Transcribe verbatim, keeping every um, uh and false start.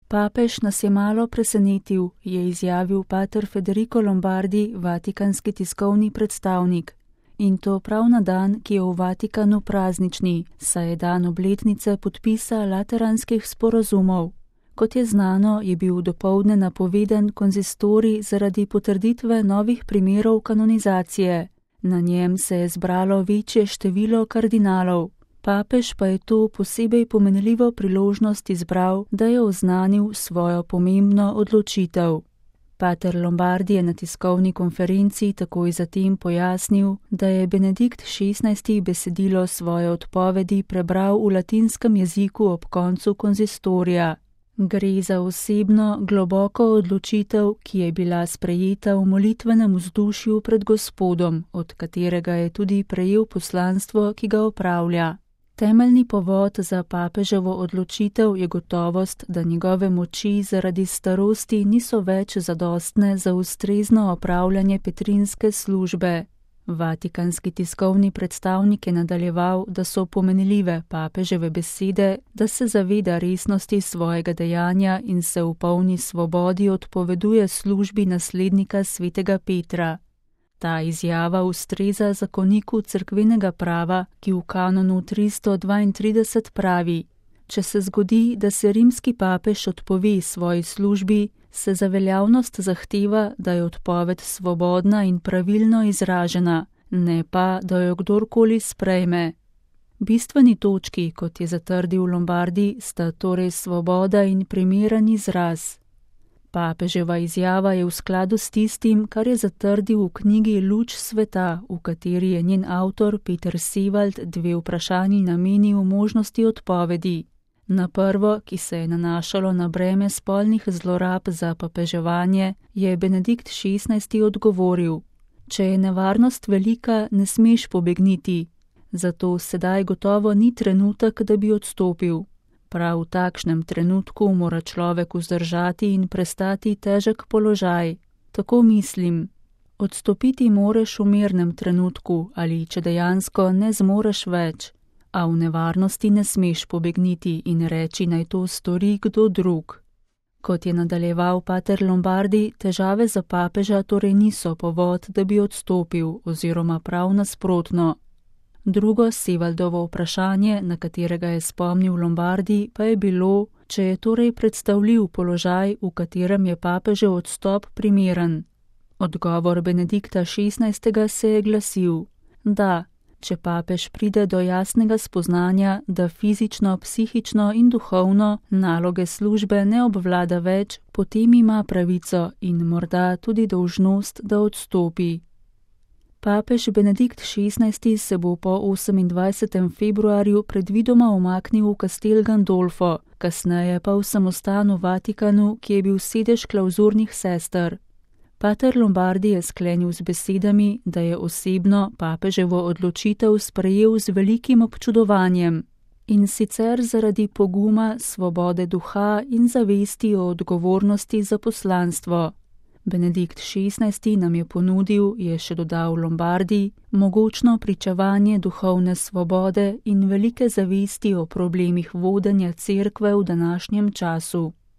Papež nas je malo presenetil, je izjavil pater Federico Lombardi, vatikanski tiskovni predstavnik. In to prav na dan, ki je v Vatikanu praznični, saj je dan obletnice podpisa lateranskih sporazumov. Kot je znano, je bil dopoldne napovedan konzistorij zaradi potrditve novih primerov kanonizacije. Na njem se je zbralo večje število kardinalov. Papež pa je to posebej pomenljivo priložnost izbral, da je oznanil svojo pomembno odločitev. Pater Lombardi je na tiskovni konferenci takoj zatem pojasnil, da je Benedikt šestnajsti besedilo svoje odpovedi prebral v latinskem jeziku ob koncu konzistorija. Gre za osebno, globoko odločitev, ki je bila sprejeta v molitvenem vzdušju pred Gospodom, od katerega je tudi prejel poslanstvo, ki ga opravlja. Temeljni povod za papeževo odločitev je gotovost, da njegove moči zaradi starosti niso več zadostne za ustrezno opravljanje petrinske službe. Vatikanski tiskovni predstavnik je nadaljeval, da so pomenljive papeževe besede, da se zaveda resnosti svojega dejanja in se v polni svobodi odpoveduje službi naslednika svetega Petra. Ta izjava ustreza zakoniku cerkvenega prava, ki v kanonu tristo dvaintrideset pravi: če se zgodi, da se rimski papež odpove svoji službi, se za veljavnost zahteva, da je odpoved svobodna in pravilno izražena, ne pa, da jo kdorkoli sprejme. Bistveni točki, kot je zatrdil Lombardi, sta torej svoboda in primeren izraz. Papeževa izjava je v skladu s tistim, kar je zatrdil v knjigi Luč sveta, v kateri je njen avtor Peter Sevald dve vprašanji namenil možnosti odpovedi. Na prvo, ki se je nanašalo na breme spolnih zlorab za papeževanje, je Benedikt šestnajsti odgovoril: če je nevarnost velika, ne smeš pobegniti, zato sedaj gotovo ni trenutek, da bi odstopil. Prav v takšnem trenutku mora človek vzdržati in prestati težek položaj. Tako mislim. Odstopiti moreš v mirnem trenutku ali če dejansko ne zmoreš več, a v nevarnosti ne smeš pobegniti in reči, naj to stori kdo drug. Kot je nadaljeval pater Lombardi, težave za papeža torej niso povod, da bi odstopil, oziroma prav nasprotno. Drugo Sevaldovo vprašanje, na katerega je spomnil Lombardi, pa je bilo, če je torej predstavljiv položaj, v katerem je papežev odstop primeren. Odgovor Benedikta šestnajstega se je glasil: da, če papež pride do jasnega spoznanja, da fizično, psihično in duhovno naloge službe ne obvlada več, potem ima pravico in morda tudi dolžnost, da odstopi. Papež Benedikt šestnajsti se bo po osemindvajsetem februarju predvidoma umaknil v Castel Gandolfo, kasneje pa v samostan v Vatikanu, ki je bil sedež klauzurnih sester. Pater Lombardi je sklenil z besedami, da je osebno papeževo odločitev sprejel z velikim občudovanjem, in sicer zaradi poguma, svobode duha in zavesti o odgovornosti za poslanstvo. Benedikt šestnajsti nam je ponudil, je še dodal Lombardi, mogočno pričevanje duhovne svobode in velike zavesti o problemih vodenja cerkve v današnjem času.